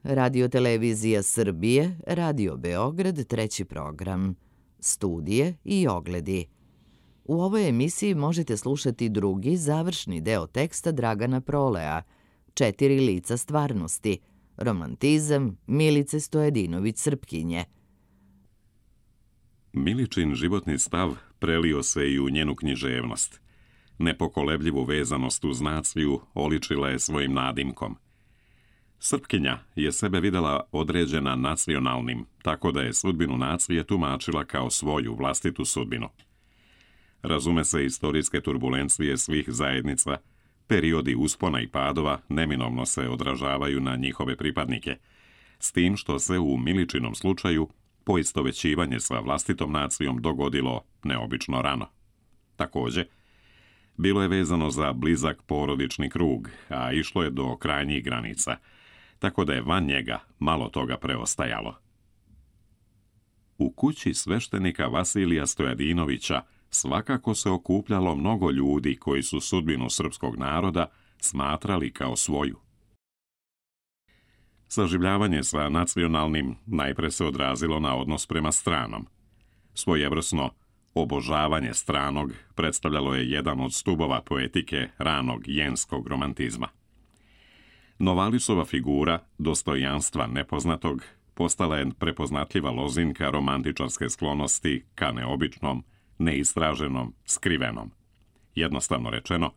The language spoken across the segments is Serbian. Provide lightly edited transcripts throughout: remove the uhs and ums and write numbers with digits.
Radio-televizija Srbije, Radio Beograd, treći program. Studije i ogledi. U ovoj emisiji možete slušati drugi, završni deo teksta Dragana Prolea, 4 lica stvarnosti, romantizam Milice Stojadinović-Srpkinje. Miličin životni stav prelio se i u njenu književnost. Nepokolebljivu vezanost uz naciju oličila je svojim nadimkom. Srpkinja je sebe videla određena nacionalnim, tako da je sudbinu nacije tumačila kao svoju vlastitu sudbinu. Razume se, istorijske turbulencije svih zajednica, periodi uspona i padova neminovno se odražavaju na njihove pripadnike, s tim što se u Miličinom slučaju poistovećivanje sa vlastitom nacijom dogodilo neobično rano. Takođe, bilo je vezano za blizak porodični krug, a išlo je do krajnjih granica, tako da je van njega malo toga preostajalo. U kući sveštenika Vasilija Stojadinovića svakako se okupljalo mnogo ljudi koji su sudbinu srpskog naroda smatrali kao svoju. Saživljavanje sa nacionalnim najpre se odrazilo na odnos prema stranom. Svojevrsno obožavanje stranog predstavljalo je jedan od stubova poetike ranog jenskog romantizma. Novalisova figura dostojanstva nepoznatog postala je prepoznatljiva lozinka romantičarske sklonosti ka neobičnom, neistraženom, skrivenom. Jednostavno rečeno,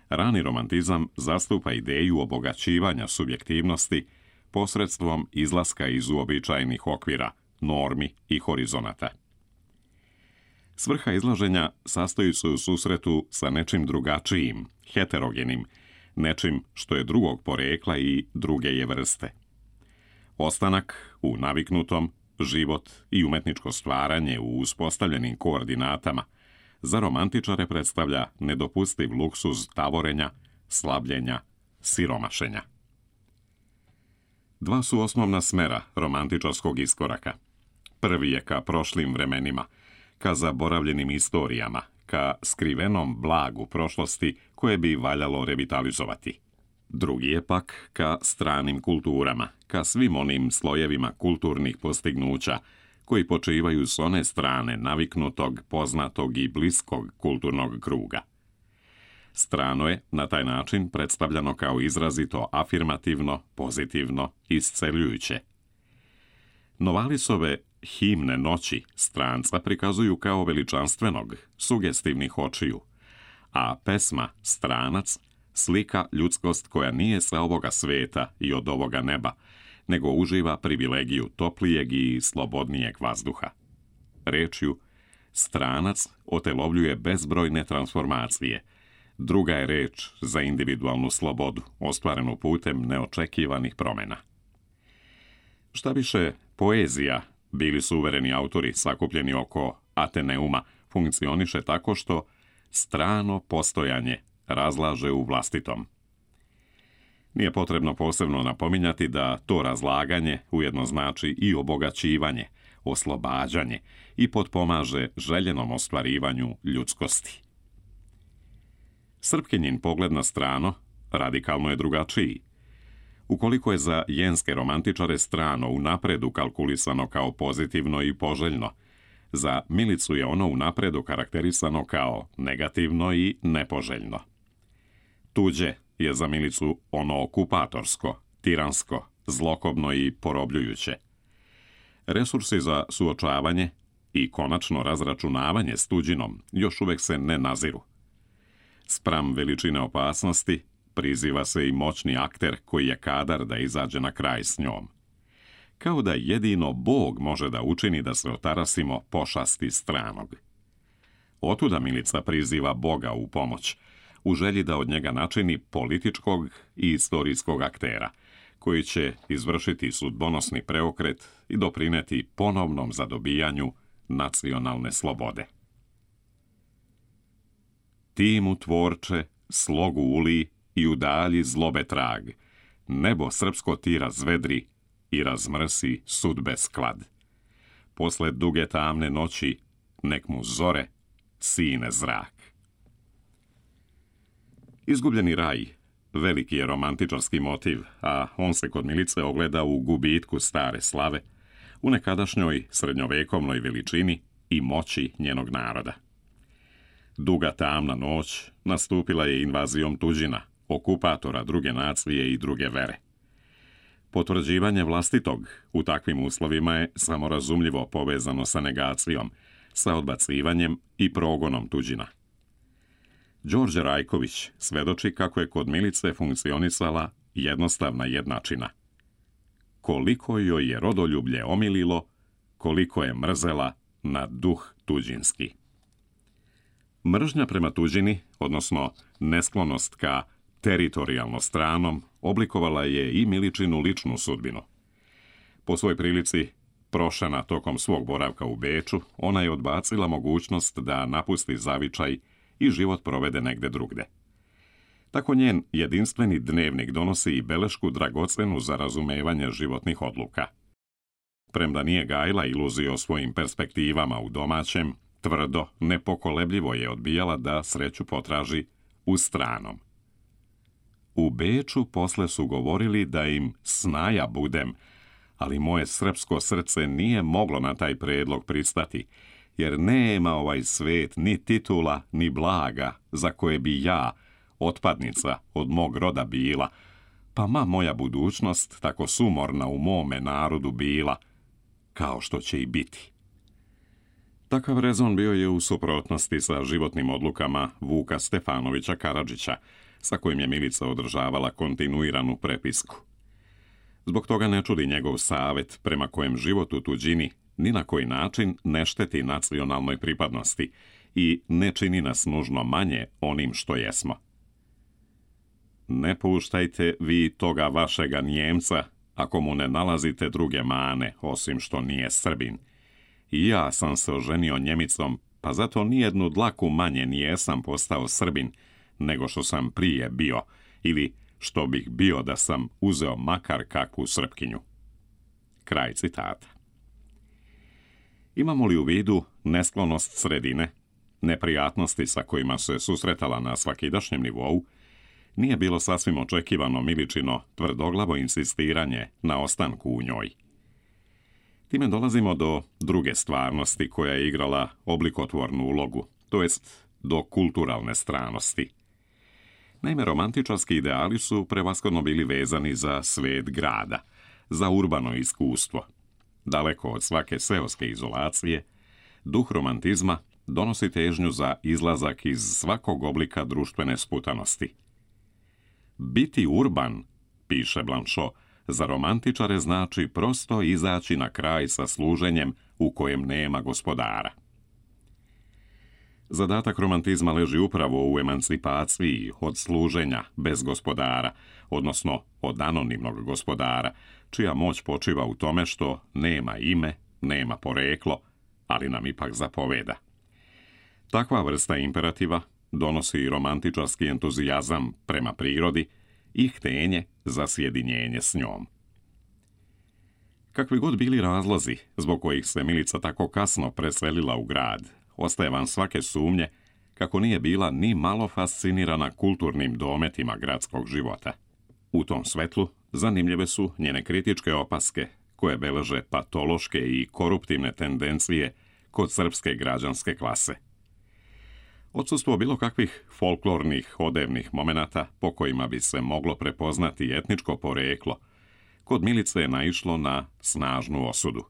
rani romantizam zastupa ideju obogaćivanja subjektivnosti posredstvom izlaska iz uobičajenih okvira, normi i horizonata. Svrha izlaženja sastoji se u susretu sa nečim drugačijim, heterogenim, nečim što je drugog porekla i druge je vrste. Ostanak u naviknutom, život i umetničko stvaranje u uspostavljenim koordinatama za romantičare predstavlja nedopustiv luksuz tavorenja, slabljenja, siromašenja. Dva su osnovna smera romantičarskog iskoraka. Prvi je ka prošlim vremenima, ka zaboravljenim istorijama, ka skrivenom blagu prošlosti koje bi valjalo revitalizovati. Drugi je pak ka stranim kulturama, ka svim onim slojevima kulturnih postignuća koji počivaju s one strane naviknutog, poznatog i bliskog kulturnog kruga. Strano je na taj način predstavljano kao izrazito afirmativno, pozitivno, isceljujuće. Novalisove himne noći stranca prikazuju kao veličanstvenog, sugestivnih očiju, a pesma Stranac slika ljudskost koja nije sa ovoga sveta i od ovoga neba, nego uživa privilegiju toplijeg i slobodnijeg vazduha. Rečju, stranac otelovljuje bezbrojne transformacije. Druga je reč za individualnu slobodu, ostvarenu putem neočekivanih promjena. Šta više, poezija, bili su uvereni autori sakupljeni oko Ateneuma, funkcioniše tako što strano postojanje razlaže u vlastitom. Nije potrebno posebno napominjati da to razlaganje ujedno znači i obogaćivanje, oslobađanje i potpomaže željenom ostvarivanju ljudskosti. Srpkinjin pogled na strano radikalno je drugačiji. Ukoliko je za jenske romantičare strano unapred ukalkulisano kao pozitivno i poželjno, za Milicu je ono unapred karakterisano kao negativno i nepoželjno. Tuđe je za Milicu ono okupatorsko, tiransko, zlokobno i porobljujuće. Resursi za suočavanje i konačno razračunavanje s tuđinom još uvek se ne naziru. Spram veličine opasnosti priziva se i moćni akter koji je kadar da izađe na kraj s njom. Kao da jedino Bog može da učini da se otarasimo pošasti stranog. Otuda Milica priziva Boga u pomoć, u želji da od njega načini političkog i istorijskog aktera, koji će izvršiti sudbonosni preokret i doprineti ponovnom zadobijanju nacionalne slobode. Ti mu, tvorče, slogu uli i udalji zlobe trag, nebo srpsko ti razvedri i razmrsi sudbe sklad. Posle duge tamne noći, nek mu zore sine zrak. Izgubljeni raj veliki je romantičarski motiv, a on se kod Milice ogleda u gubitku stare slave, u nekadašnjoj srednjovekovnoj veličini i moći njenog naroda. Duga tamna noć nastupila je invazijom tuđina, okupatora druge nacije i druge vere. Potvrđivanje vlastitog u takvim uslovima je samorazumljivo povezano sa negacijom, sa odbacivanjem i progonom tuđina. Đorđe Rajković svedoči kako je kod Milice funkcionisala jednostavna jednačina. Koliko joj je rodoljublje omililo, koliko je mrzela na duh tuđinski. Mržnja prema tuđini, odnosno nesklonost ka teritorijalno stranom, oblikovala je i Miličinu ličnu sudbinu. Po svoj prilici, prošena tokom svog boravka u Beču, ona je odbacila mogućnost da napusti zavičaj i život provede negde drugde. Tako njen jedinstveni dnevnik donosi i belešku dragocenu za razumevanje životnih odluka. Premda nije gajila iluziju o svojim perspektivama u domaćem, tvrdo, nepokolebljivo je odbijala da sreću potraži u stranom. U Beču posle su govorili da im snaja budem, ali moje srpsko srce nije moglo na taj predlog pristati, jer nema ovaj svet ni titula, ni blaga za koje bi ja, otpadnica od mog roda bila, pa ma moja budućnost tako sumorna u mome narodu bila, kao što će i biti. Takav rezon bio je u suprotnosti sa životnim odlukama Vuka Stefanovića Karadžića, sa kojim je Milica održavala kontinuiranu prepisku. Zbog toga ne čudi njegov savet prema kojem život u tuđini ni na koji način ne šteti nacionalnoj pripadnosti i ne čini nas nužno manje onim što jesmo. Ne puštajte vi toga vašega Njemca ako mu ne nalazite druge mane, osim što nije Srbin. I ja sam se oženio Njemicom, pa zato nijednu dlaku manje nijesam postao Srbin, nego što sam prije bio, ili što bih bio da sam uzeo makar kakvu Srpkinju. Kraj citata. Imamo li u vidu nesklonost sredine, neprijatnosti sa kojima se susretala na svakidašnjem nivou, nije bilo sasvim očekivano Miličino tvrdoglavo insistiranje na ostanku u njoj. Time dolazimo do druge stvarnosti koja je igrala oblikotvornu ulogu, to jest do kulturalne stranosti. Naime, romantičarski ideali su prevashodno bili vezani za svet grada, za urbano iskustvo. Daleko od svake seoske izolacije, duh romantizma donosi težnju za izlazak iz svakog oblika društvene sputanosti. Biti urban, piše Blanchot, za romantičare znači prosto izaći na kraj sa služenjem u kojem nema gospodara. Zadatak romantizma leži upravo u emancipaciji od služenja bez gospodara, odnosno od anonimnog gospodara, čija moć počiva u tome što nema ime, nema poreklo, ali nam ipak zapoveda. Takva vrsta imperativa donosi i romantičarski entuzijazam prema prirodi i htenje za sjedinjenje s njom. Kakvi god bili razlozi zbog kojih se Milica tako kasno preselila u grad, ostaje van svake sumnje kako nije bila ni malo fascinirana kulturnim dometima gradskog života. U tom svetlu zanimljive su njene kritičke opaske koje beleže patološke i koruptivne tendencije kod srpske građanske klase. Odsustvo bilo kakvih folklornih odevnih momenata po kojima bi se moglo prepoznati etničko poreklo, kod Milice je naišlo na snažnu osudu.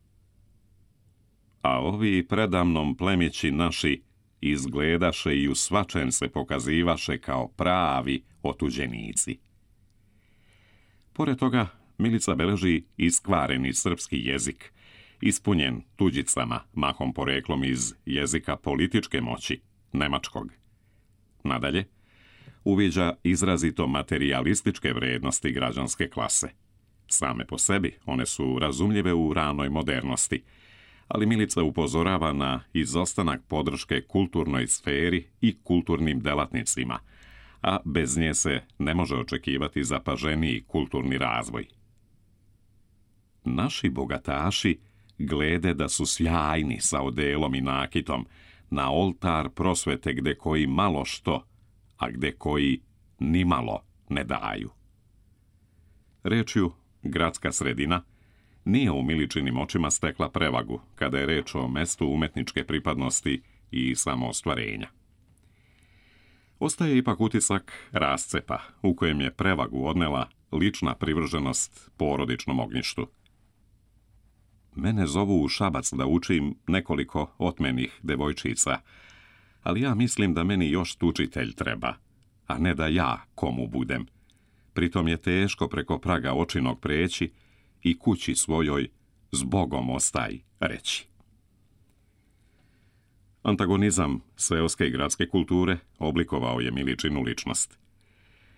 A ovi predamnom plemići naši izgledaše i u svačem se pokazivaše kao pravi otuđenici. Pored toga, Milica beleži iskvareni srpski jezik, ispunjen tuđicama, mahom poreklom iz jezika političke moći, nemačkog. Nadalje, uviđa izrazito materijalističke vrednosti građanske klase. Same po sebi one su razumljive u ranoj modernosti, ali Milica upozorava na izostanak podrške kulturnoj sferi i kulturnim delatnicima, a bez nje se ne može očekivati zapaženiji kulturni razvoj. Naši bogataši glede da su sjajni sa odelom i nakitom, na oltar prosvete gde koji malo što, a gde koji ni malo ne daju. Rečju gradska sredina nije u Miličinim očima stekla prevagu kada je reč o mestu umetničke pripadnosti i samoostvarenja. Ostaje ipak utisak rascepa u kojem je prevagu odnela lična privrženost porodičnom ognjištu. Mene zovu u Šabac da učim nekoliko otmenih devojčica, ali ja mislim da meni još tučitelj treba, a ne da ja komu budem. Pritom je teško preko praga očinog preći i kući svojoj zbogom ostaj reći. Antagonizam seoske i gradske kulture oblikovao je Miličinu ličnost.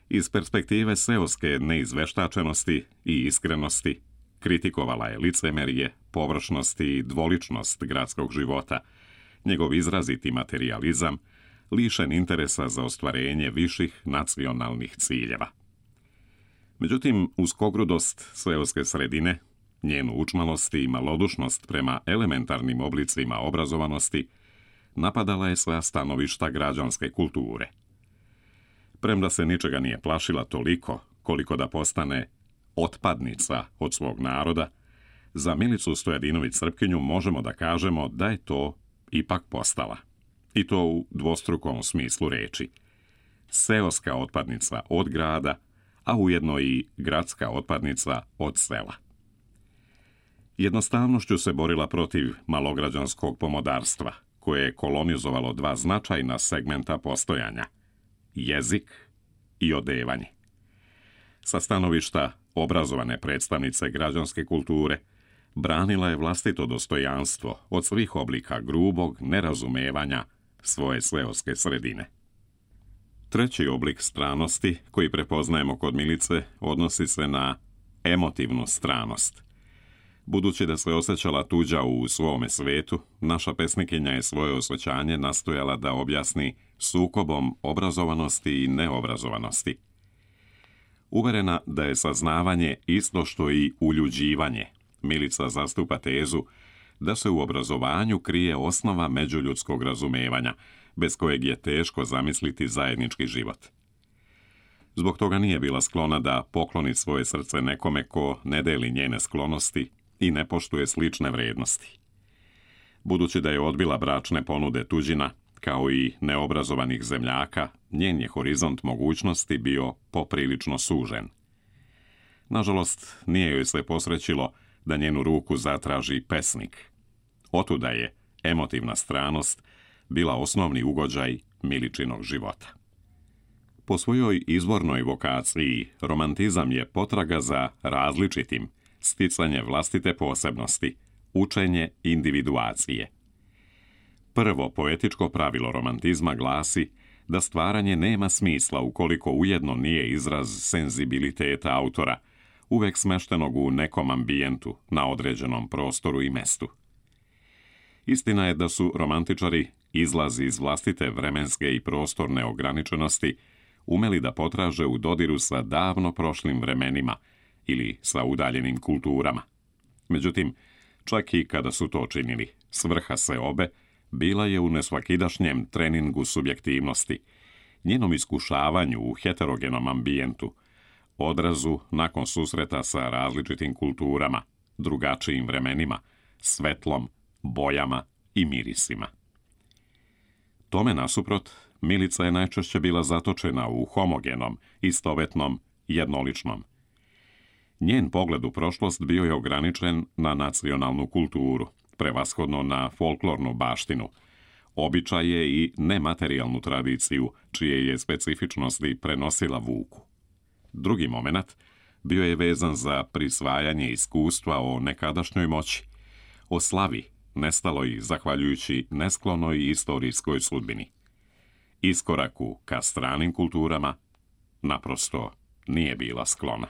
Iz perspektive seoske neizveštačenosti i iskrenosti kritikovala je licemerje, površnost i dvoličnost gradskog života, njegov izraziti materijalizam, lišen interesa za ostvarenje viših nacionalnih ciljeva. Međutim, uskogrudost seoske sredine, njenu učmalost i malodušnost prema elementarnim oblicima obrazovanosti napadala je sa stanovišta građanske kulture. Premda se ničega nije plašila toliko koliko da postane otpadnica od svog naroda, za Milicu Stojadinović-Srpkinju možemo da kažemo da je to ipak postala. I to u dvostrukom smislu reči. Seoska otpadnica od grada, a ujedno i gradska otpadnica od sela. Jednostavnošću se borila protiv malograđanskog pomodarstva, koje je kolonizovalo dva značajna segmenta postojanja – jezik i odevanje. Sa stanovišta obrazovane predstavnice građanske kulture, branila je vlastito dostojanstvo od svih oblika grubog nerazumevanja svoje seoske sredine. Treći oblik stranosti koji prepoznajemo kod Milice odnosi se na emotivnu stranost. Budući da se osjećala tuđa u svome svetu, naša pesnikinja je svoje osjećanje nastojala da objasni sukobom obrazovanosti i neobrazovanosti. Uverena da je saznavanje isto što i uljuđivanje, Milica zastupa tezu da se u obrazovanju krije osnova međuljudskog razumevanja, bez kojeg je teško zamisliti zajednički život. Zbog toga nije bila sklona da pokloni svoje srce nekome ko ne deli njene sklonosti i ne poštuje slične vrednosti. Budući da je odbila bračne ponude tuđina, kao i neobrazovanih zemljaka, njen je horizont mogućnosti bio poprilično sužen. Nažalost, nije joj se posrećilo da njenu ruku zatraži pesnik. Otuda je emotivna stranost bila osnovni ugođaj Miličinog života. Po svojoj izvornoj vokaciji, romantizam je potraga za različitim, sticanje vlastite posebnosti, učenje individuacije. Prvo poetičko pravilo romantizma glasi da stvaranje nema smisla ukoliko ujedno nije izraz senzibiliteta autora, uvek smeštenog u nekom ambijentu, na određenom prostoru i mestu. Istina je da su romantičari izlazi iz vlastite vremenske i prostorne ograničenosti umeli da potraže u dodiru sa davno prošlim vremenima ili sa udaljenim kulturama. Međutim, čak i kada su to činili, svrha seobe bila je u nesvakidašnjem treningu subjektivnosti, njenom iskušavanju u heterogenom ambijentu, odrazu nakon susreta sa različitim kulturama, drugačijim vremenima, svetlom, bojama i mirisima. Tome nasuprot, Milica je najčešće bila zatočena u homogenom, istovetnom, jednoličnom. Njen pogled u prošlost bio je ograničen na nacionalnu kulturu, prevashodno na folklornu baštinu, običaje i nematerijalnu tradiciju, čije je specifičnosti prenosila vuku. Drugi moment bio je vezan za prisvajanje iskustva o nekadašnjoj moći, o slavi, nestaloj zahvaljujući nesklonoj istorijskoj sudbini. Iskoraku ka stranim kulturama naprosto nije bila sklona.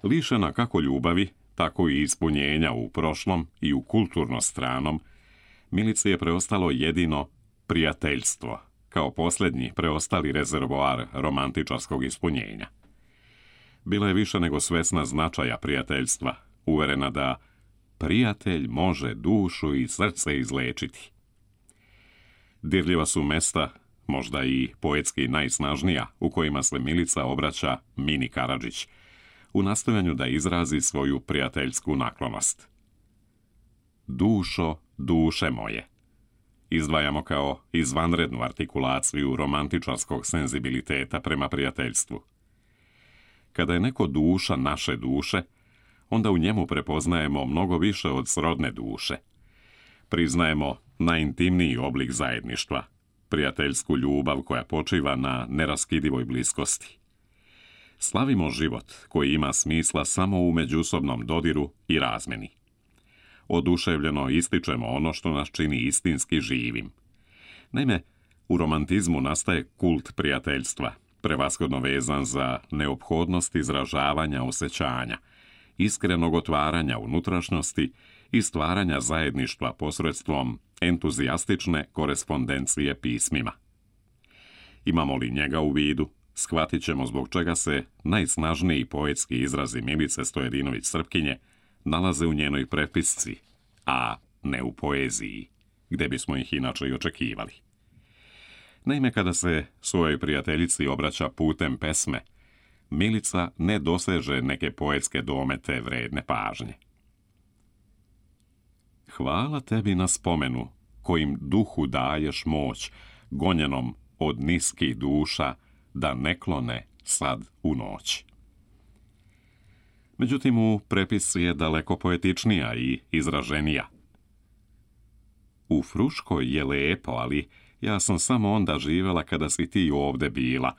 Lišena kako ljubavi, tako i ispunjenja u prošlom i u kulturno stranom, Milici je preostalo jedino prijateljstvo, kao posljednji preostali rezervoar romantičarskog ispunjenja. Bila je više nego svesna značaja prijateljstva, uverena da prijatelj može dušu i srce izlečiti. Dirljiva su mesta, možda i poetski najsnažnija, u kojima se Milica obraća Mini Karadžić, u nastojanju da izrazi svoju prijateljsku naklonost. Dušo, duše moje. Izdvajamo kao izvanrednu artikulaciju romantičarskog senzibiliteta prema prijateljstvu. Kada je neko duša naše duše, onda u njemu prepoznajemo mnogo više od srodne duše. Priznajemo najintimniji oblik zajedništva, prijateljsku ljubav koja počiva na neraskidivoj bliskosti. Slavimo život koji ima smisla samo u međusobnom dodiru i razmeni. Oduševljeno ističemo ono što nas čini istinski živim. Naime, u romantizmu nastaje kult prijateljstva, prevashodno vezan za neophodnost izražavanja osjećanja, iskrenog otvaranja unutrašnjosti i stvaranja zajedništva posredstvom entuzijastične korespondencije pismima. Imamo li njega u vidu, shvatit ćemo zbog čega se najsnažniji poetski izrazi Milice Stojedinović-Srpkinje nalaze u njenoj prepisci, a ne u poeziji, gde bismo ih inače i očekivali. Naime, kada se svojoj prijateljici obraća putem pesme, Milica ne doseže neke poetske domete vredne pažnje. Hvala tebi na spomenu, kojim duhu daješ moć, gonjenom od niskih duša, da ne klone sad u noć. Međutim, u prepisci je daleko poetičnija i izraženija. U Fruškoj je lepo, ali ja sam samo onda živela kada si ti ovde bila,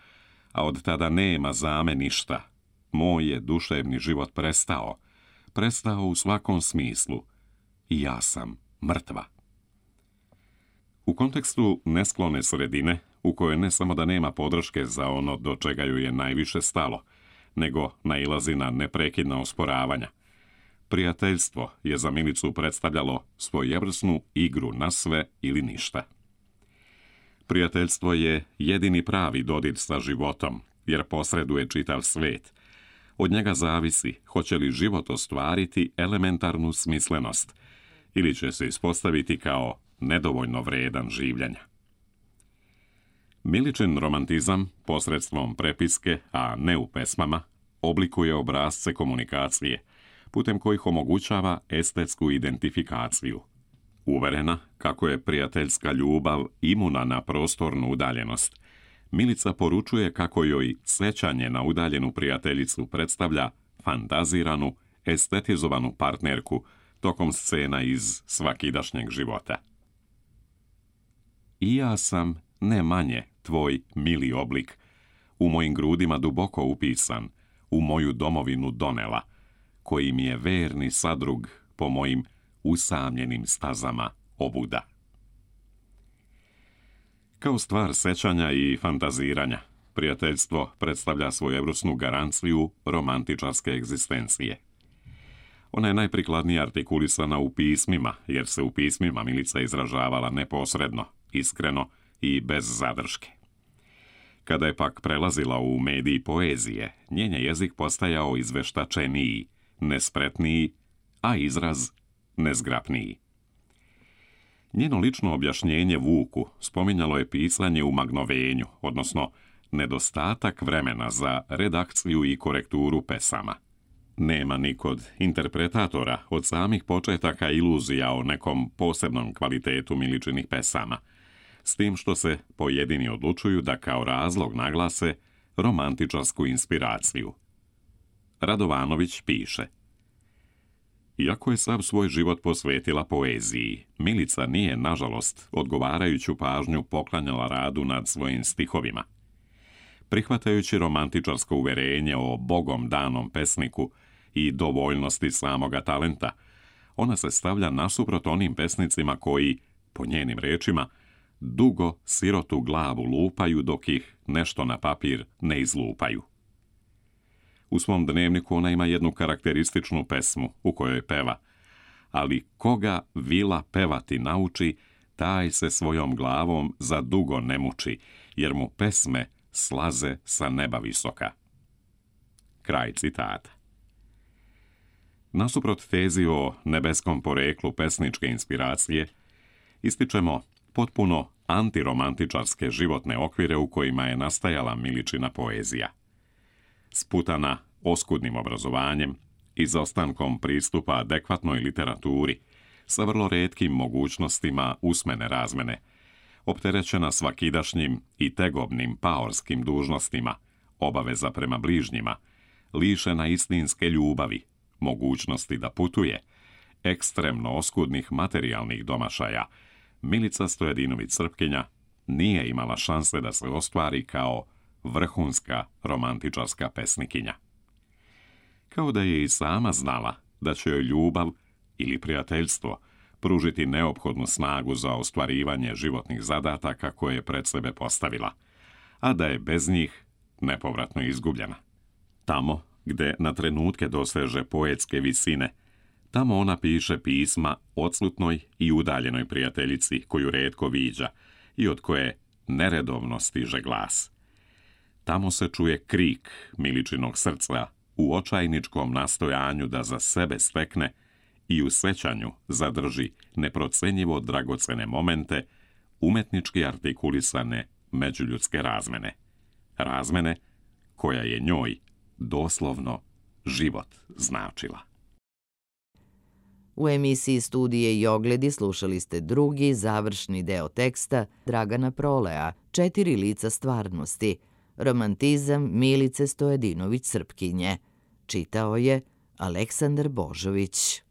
a od tada nema za me ništa. Moj je duševni život prestao u svakom smislu i ja sam mrtva. U kontekstu nesklone sredine, u kojoj ne samo da nema podrške za ono do čega ju je najviše stalo, nego nailazi na neprekidna osporavanja, prijateljstvo je za Milicu predstavljalo svojevrsnu igru na sve ili ništa. Prijateljstvo je jedini pravi dodir sa životom, jer posreduje čitav svet. Od njega zavisi hoće li život ostvariti elementarnu smislenost ili će se ispostaviti kao nedovoljno vredan življenja. Miličin romantizam, posredstvom prepiske, a ne u pesmama, oblikuje obrasce komunikacije, putem kojih omogućava estetsku identifikaciju. Uverena kako je prijateljska ljubav imuna na prostornu udaljenost, Milica poručuje kako joj sećanje na udaljenu prijateljicu predstavlja fantaziranu, estetizovanu partnerku tokom scena iz svakidašnjeg života. I ja sam, ne manje, tvoj mili oblik, u mojim grudima duboko upisan, u moju domovinu donela, koji mi je verni sadrug po mojim usamljenim stazama obuda. Kao stvar sećanja i fantaziranja, prijateljstvo predstavlja svojevrsnu garanciju romantičarske egzistencije. Ona je najprikladnije artikulisana u pismima, jer se u pismima Milica izražavala neposredno, iskreno i bez zadrške. Kada je pak prelazila u medij poezije, njen je jezik postajao izveštačeniji, nespretniji, a izraz nezgrapniji. Njeno lično objašnjenje Vuku spominjalo je pisanje u magnovenju, odnosno nedostatak vremena za redakciju i korekturu pesama. Nema ni kod interpretatora od samih početaka iluzija o nekom posebnom kvalitetu Miličinih pesama, s tim što se pojedini odlučuju da kao razlog naglase romantičarsku inspiraciju. Radovanović piše: iako je sav svoj život posvetila poeziji, Milica nije, nažalost, odgovarajuću pažnju poklanjala radu nad svojim stihovima. Prihvatajući romantičarsko uverenje o bogom danom pesniku i dovoljnosti samoga talenta, ona se stavlja nasuprot onim pesnicima koji, po njenim rečima, dugo sirotu glavu lupaju dok ih nešto na papir ne izlupaju. U svom dnevniku ona ima jednu karakterističnu pesmu u kojoj peva: ali koga vila pevati nauči, taj se svojom glavom za dugo ne muči, jer mu pesme slaze sa neba visoka. Kraj citata. Nasuprot tezi o nebeskom poreklu pesničke inspiracije, ističemo potpuno antiromantičarske životne okvire u kojima je nastajala Miličina poezija. Sputana oskudnim obrazovanjem, izostankom pristupa adekvatnoj literaturi, sa vrlo retkim mogućnostima usmene razmene, opterećena svakidašnjim i tegobnim paorskim dužnostima, obaveza prema bližnjima, lišena istinske ljubavi, mogućnosti da putuje, ekstremno oskudnih materijalnih domašaja, Milica Stojadinović-Srpkinja nije imala šanse da se ostvari kao vrhunska romantičarska pesnikinja. Kao da je i sama znala da će joj ljubav ili prijateljstvo pružiti neophodnu snagu za ostvarivanje životnih zadataka koje je pred sebe postavila, a da je bez njih nepovratno izgubljena. Tamo gde na trenutke doseže poetske visine, tamo ona piše pisma odsutnoj i udaljenoj prijateljici koju retko viđa i od koje neredovno stiže glas. Tamo se čuje krik Miličinog srca u očajničkom nastojanju da za sebe stekne i u sećanju zadrži neprocenjivo dragocene momente umetnički artikulisane međuljudske razmene. Razmene koja je njoj doslovno život značila. U emisiji Studije i ogledi slušali ste drugi, završni deo teksta Dragana Prolea, 4 lica stvarnosti, romantizam Milice Stojadinović-Srpkinje. Čitao je Aleksandar Božović.